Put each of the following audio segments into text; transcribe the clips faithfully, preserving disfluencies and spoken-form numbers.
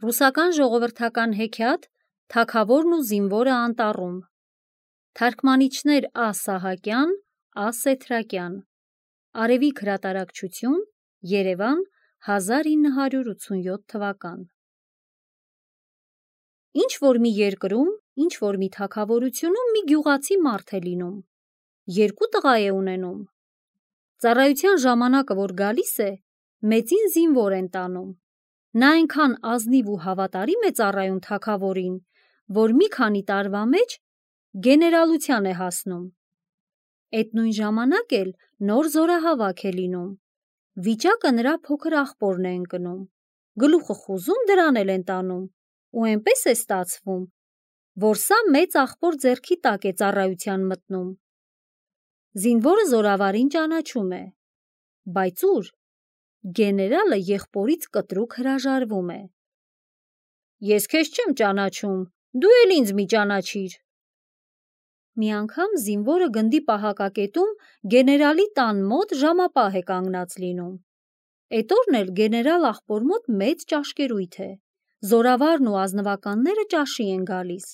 Ռուսական ժողովրդական հեքիաթ «Թագավորն ու զինվորը անտառում», թարգմանիչներ Ա. Սահակյան, Ա. Սեթրակյան, Արևիկ հրատարակչություն, Երևան, հազար ինը հարյուր ութսունյոթ թվական։ Ինչ-որ մի երկրում, ինչ-որ մի թագավորությունում մի գյուղացի մարդ է լինում, երկու տղա է ունենում։ Ծառայության ժամանակը որ գալիս է, մեծին զինվոր են տանում։ Նա այնքան ազնիվ ու հավատարիմ է ծառայում թագավորին, որ մի քանի տարվա մեջ գեներալության է հասնում։ Էդ նույն ժամանակ էլ նոր զորահավաք է լինում։ Վիճակը նրա փոքր աղբորն է ընկնում, գլուխը խուզում դրան էլ են տանում, ու այնպես է ստացվում, որ սա մեծ աղբոր ձեռքի տակ է ծառայության մտնում։ Զինվորը զորավարին ճանաչում է, բայց ուր։ Գեներալը եղբորից կտրուկ հրաժարվում է։ Ես քեզ չեմ ճանաչում, դու էլ ինձ մի ճանաչիր։ Մի անգամ զինվորը գնդի պահակակետում գեներալի տան մոտ ժամապահ է կանգնած լինում։ Էդ օրն էլ գեներալ աղբոր մոտ մեծ ճաշկերույթ է, զորավարն ու ազնվականները ճաշի են գալիս։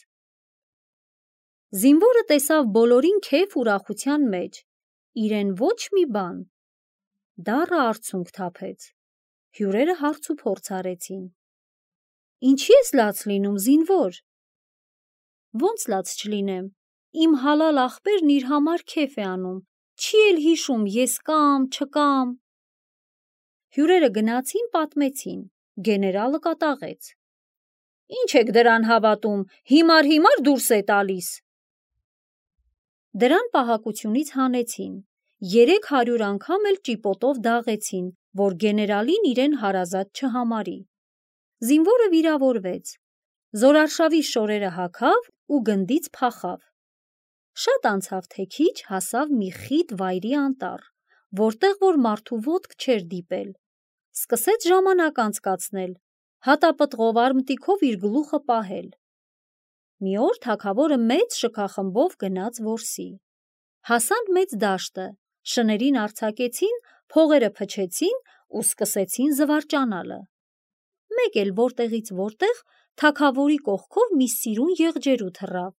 Զինվորը տեսավ բոլորին քեֆ ուրախության մեջ, իրեն ոչ մի բան։ Դառը արցունք թափեց, հյուրերը հարց ու փորձ արեցին։ Ինչի ես լաց լինում, զինվոր։ Ոնց լաց չլինեմ, իմ հալալ աղբերն իր համար քեֆ է անում, չի էլ հիշում ես կամ, չկամ։ Հյուրերը գնացին, պատմեցին, գեներալը կատաղեց։ Ինչ եք դրան հավատում, հիմար-հիմար դուրս է տալիս։ Դրան պահակությունից հանեցին, երեք հարյուր անգամ էլ ճիպոտով դաղեցին, որ գեներալին իրեն հարազատ չհամարի։ Զինվորը վիրավորվեց, զորարշավի շորերը հագավ ու գնդից փախավ։ Շատ անցավ թե քիչ հասավ մի խիտ վայրի անտառ, որտեղ որ մարդու ոտք չէր դիպել։ Սկսեց ժամանակ անցկացնել, հատապտղով արմտիքով իր գլուխը պահել։ Մի օր թագավորը մեծ շքախմբով գնաց որսի։ Հասան մեծ դաշտը, շներին արձակեցին, փողերը փչեցին ու սկսեցին զվարճանալը։ Մեկ էլ որտեղից որտեղ թագավորի կողքով մի սիրուն եղջերու թռավ,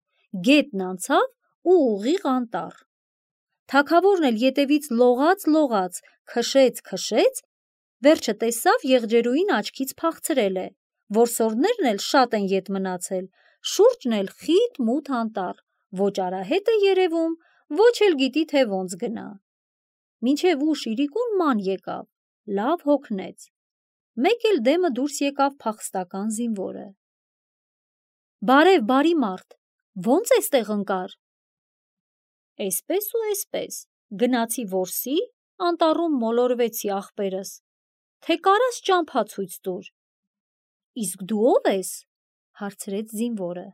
գետն անցավ ու ուղիղ անտառ։ Թագավորն էլ ետևից լողաց-լողաց, քշեց-քշեց, վերջը տեսավ եղջերուին աչքից փախցրել է, որսորդներն էլ շատ են ետ մնացել, շուրջն էլ խիտ մութ անտառ, ոչ արահետ է երևում, ոչ էլ գիտի թե ոնց գնա։ Մինչև ուշ իրիկուն ման եկավ, լավ հոգնեց։ Մեկ էլ դեմը դուրս եկավ փախստական զինվորը։ Բարև, բարի մարդ, ոնց էստեղ ընկար։ Էսպես ու էսպես, գնացի որսի, անտառում մոլորվեցի ախպերս, թե կարաս ճամփա ցույց տուր։ Իսկ դու ով ես, հարցրեց զինվորը։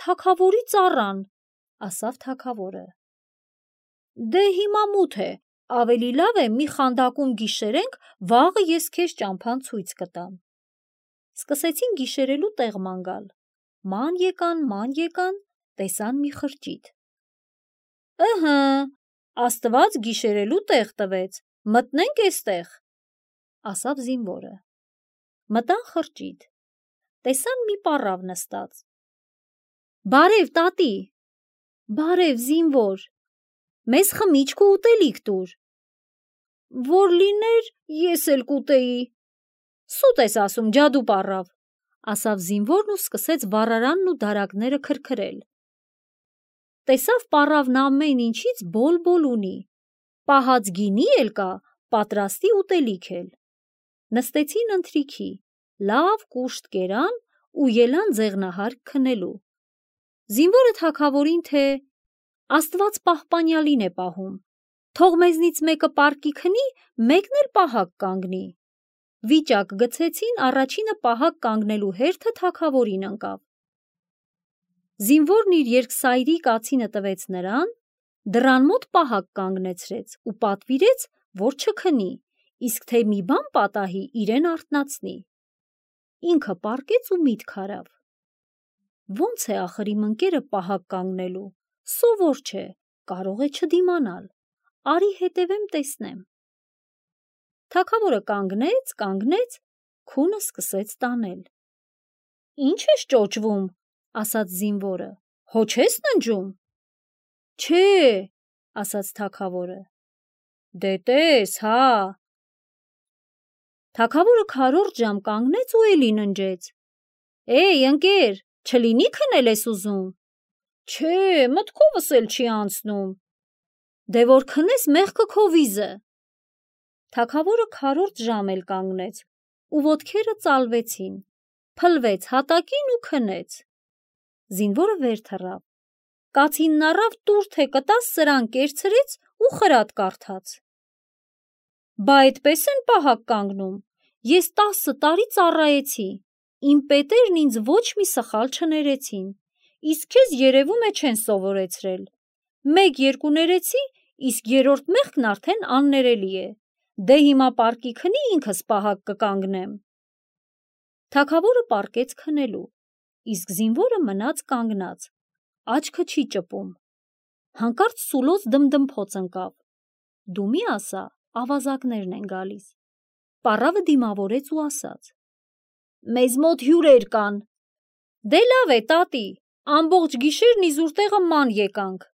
Թագավորի ծառան, ասավ թագավորը։ Դե հիմա մութ է, ավելի լավ է մի խանդակում գիշերենք, վաղը ես քեզ ճամփան ցույց կտամ։ Սկսեցին գիշերելու տեղ ման գալ, ման եկան, ման եկան, տեսան մի խրճիթ։ Ըհը, Աստված գիշերելու տեղ տվեց, մտնենք էստեղ, ասավ զինվորը։ Մտան խրճիթ, տեսան մի պառավ նստած։ Բարև, տատի։ Բարև, զինվոր, մեզ խմիչք ու ուտելիք տուր։ Որ լիներ, ես էլ կուտեի։ Սուտ ես ասում, ջադու պառավ, ասավ զինվորն ու սկսեց վառարանն ու դարակները քրքրել։ Տեսավ պառավն ամեն ինչից բոլ-բոլ ունի, պահած գինի էլ կա, պատրաստի ուտելիք էլ։ Նստեցին ընթրիքի, լավ կուշտ կերան ու ելան ձեղնահարկ քնելու։ Զինվորը թագավորին թե Աստված պահպանյալին է պահում, թող մեզնից մեկը պարկի քնի, մեկն էլ պահակ կանգնի։ Վիճակ գցեցին, առաջինը պահակ կանգնելու հերթը թագավորին ընկավ։ Զինվորն իր երկսայրի կացինը տվեց նրան, դռան մոտ պահակ կանգնեցրեց ու պատվիրեց, որ չքնի, իսկ թե մի բան պատահի, իրեն արթնացնի։ Ինքը պառկեց ու միտք արավ։ Ոնց է ախր իմ ընկերը պահակ կանգնելու, սովոր չէ, կարող է չդիմանալ, արի հետևեմ տեսնեմ։ Թագավորը կանգնեց, կանգնեց, քունը սկսեց տանել։ Ինչ ես ճոճվում, ասաց զինվորը, հո չես ննջում։ Չէ, ասաց թագավորը։ Դե տես, հա։ Թագավորը քառորդ ժամ կանգնեց ու էլի ննջեց։ Էй, ընկեր, չլինի քնել ես ուզում։ Չէ, մտքովս էլ չի անցնում։ Դե որ քնես մեղքը քո վիզը։ Թագավորը քառորդ ժամ էլ կանգնեց ու ոտքերը ծալվեցին, փլվեց հատակին ու քնեց։ Զինվորը վեր թռավ։ Կացինն առավ տուր թե կտաս սրան կերցրեց ու խրատ կարդաց։ Բա այդպես են պահակ կանգնում։ Ես տասը տարի ծառայեցի։ Իմ պետերն ինձ ոչ մի սխալ չներեցին, իսկ քեզ երևում է չեն սովորեցրել։ Մեկ-երկու ներեցի, իսկ երրորդ մեղքն արդեն աններելի է։ Դե հիմա պարկի քնի ինքս պահակ կկանգնեմ։ Թագավորը պարկեց քնելու, իսկ զինվորը մնաց կանգնած, աչքը չի ճպում։ Հանկարծ սուլոց դմդմփոց ընկավ։ Դու մի ասա, ավազակներն են գալիս։ Պառավը դիմավորեց ու ասաց. Մեզ մոտ հյուրեր կան։ Դե լավ է, տատի, ամբողջ գիշերն իզուր տեղը ման եկանք,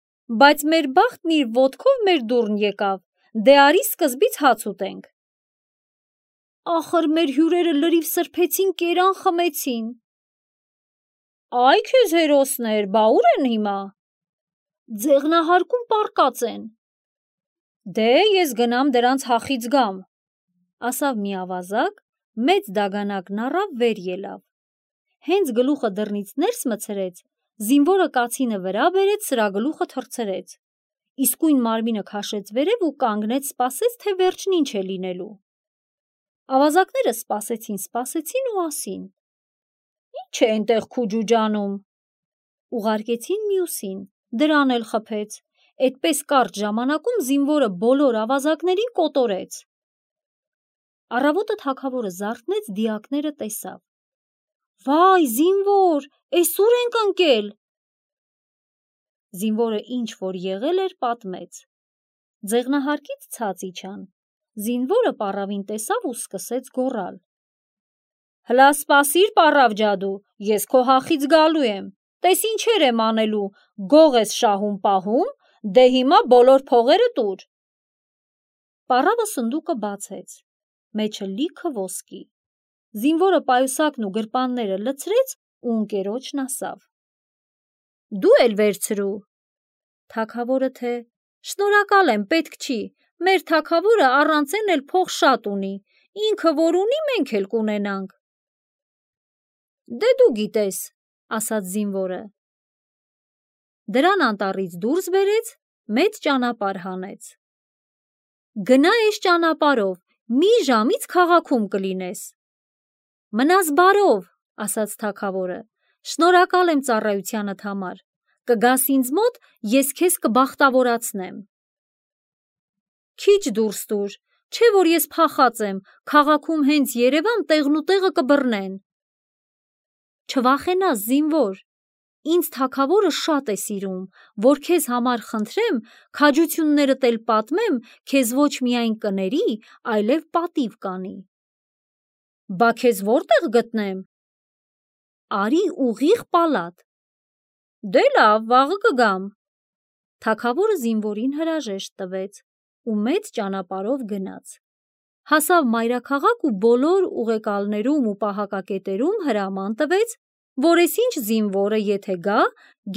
բայց մեր բախտն իր ոտքով մեր դուռն եկավ, դե արի սկզբից հաց ուտենք։ Ախր մեր հյուրերը լրիվ սրբեցին, կերան խմեցին։ Այ քեզ հերոսներ, բա ուր են հիմա։ Ձեղնահարկում պառկած են։ Դե ես գնամ դրանց հախից գամ, ասավ մի ավազակ, մեծ դագանակն առավ վեր ելավ։ Հենց գլուխը դռնից ներս մցրեց, զինվորը կացինը վրա բերեց, սրա գլուխը թռցրեց։ Իսկույն մարմինը քաշեց վերև ու կանգնեց, սպասեց, թե վերջն ինչ է լինելու։ Ավազակները սպասեցին, սպասեցին ու ասին. Ինչ է այնտեղ քուջուջանում։ Ուղարկեցին մյուսին, դրան էլ խփեց։ Այդպես կարճ ժամանակում զինվորը բոլոր ավազակներին կոտորեց։ Առավոտը թագավորը զարթնեց, դիակները տեսավ։ Վայ, զինվոր, էս ուր ենք ընկել։ Զինվորը ինչ որ եղել էր, պատմեց։ Ձեղնահարկից ցած իջան։ Զինվորը պառավին տեսավ ու սկսեց գոռալ. Հլա սպասիր, պառավ ջադու, ես քո հախից գալու եմ։ Տես ինչեր եմ անելու, գող ես շահում պահում, դե հիմա բոլոր փողերը տուր։ Պառավը սնդուկը բացեց, մեջը լիքը ոսկի։ Զինվորը պայուսակն ու գրպանները լցրեց ու ընկերոջն ասավ. Դու էլ վերցրու։ Թագավորը թե շնորհակալ եմ, պետք չի, մեր թագավորը առանցեն էլ փող շատ ունի, ինքը որ ունի, մենք էլ կունենանք։ Դե դու գիտես, ասաց զինվորը։ Դրան անտառից դուրս բերեց, մեծ ճանապարհ հանեց։ Գնա այս ճանապարհով, մի ժամից քաղաքում կլինես։ Մնաս բարով, ասաց թագավորը, շնորհակալ եմ ծառայությանդ համար, կգաս ինձ մոտ, ես քեզ կբախտավորացնեմ։ Քիչ դուրս տուր, չէ որ ես փախած եմ, քաղաքում հենց երևամ, տեղնուտեղը կբռնեն։ Չվախենաս, զինվոր, ինձ թագավորը շատ է սիրում, որ քեզ համար խնդրեմ, քաջություններդ էլ պատմեմ, քեզ ոչ միայն կների, այլև պատիվ կանի։ Բա քեզ որտեղ գտնեմ։ Արի ուղիղ պալատ։ Դե լավ, վաղը կգամ։ Թագավորը զինվորին հրաժեշտ տվեց ու մեծ ճանապարհով գնաց։ Հասավ մայրաքաղաք ու բոլոր ուղեկալներում ու պահակակետերում հրաման տվեց, որ ես ինչ զինվորը եթե գա,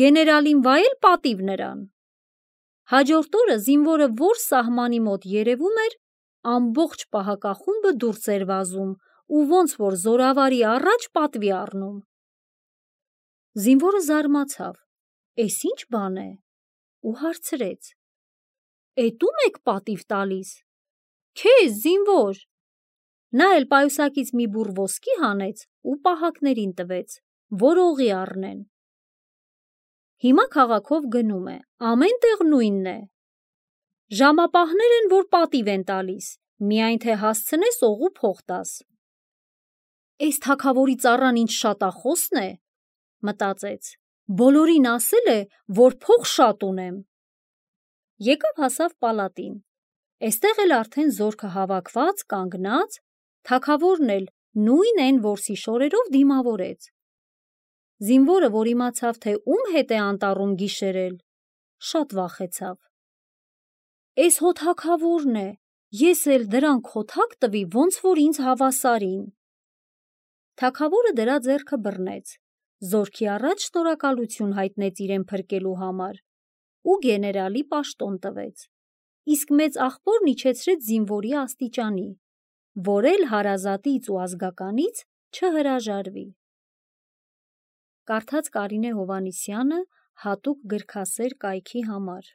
գեներալին վայել պատիվ նրան։ Հաջորդ օրը զինվորը որ սահմանի մոտ երևում էր, ամբողջ պահակախումբը դուրս էր վազում ու ոնց որ զորավարի առաջ պատվի առնում։ Զինվորը զարմացավ, էս ինչ բան է, ու հարցրեց. Էդ ում եք պատիվ տալիս։ Քեզ, զինվոր։ Նա էլ պայուսակից մի բուռ ոսկի հանեց ու պահակներին տվեց, որ օղի առնեն։ Հիմա քաղաքով գնում է, ամեն տեղ նույնն է։ Ժամապահներ են, որ պատիվ են տալիս, միայն թե հասցնես օղու փող տաս։ Էս թագավորի ծառան ինչ շատախոսն է, մտածեց, բոլորին ասել է, որ փող շատ ունեմ։ Եկավ հասավ պալատին, էստեղ էլ արդեն զորքը հավաքված, կանգնած, թագավորն էլ նույն են որսի շորերով դիմավորեց։ Զինվորը, որ իմացավ, թե ում հետ է անտառում գիշերել, շատ վախեցավ։ «Էս հո թագավորն է, ես էլ դրան քոթակ տվի, ոնց որ ինձ հավասարին»։ Թագավորը դրա ձեռքը բռնեց, զորքի առաջ շնորհակալություն հայտնեց իրեն փրկելու համար ու գեներալի պաշտոն տվեց, իսկ մեծ աղբորն իջեցրեց զինվորի աստիճանի, որ էլ հարազատից ու ազգականից չհրաժարվի։ Կարդաց Կարինե Հովհաննիսյանը հատուկ գրքասեր կայքի համար։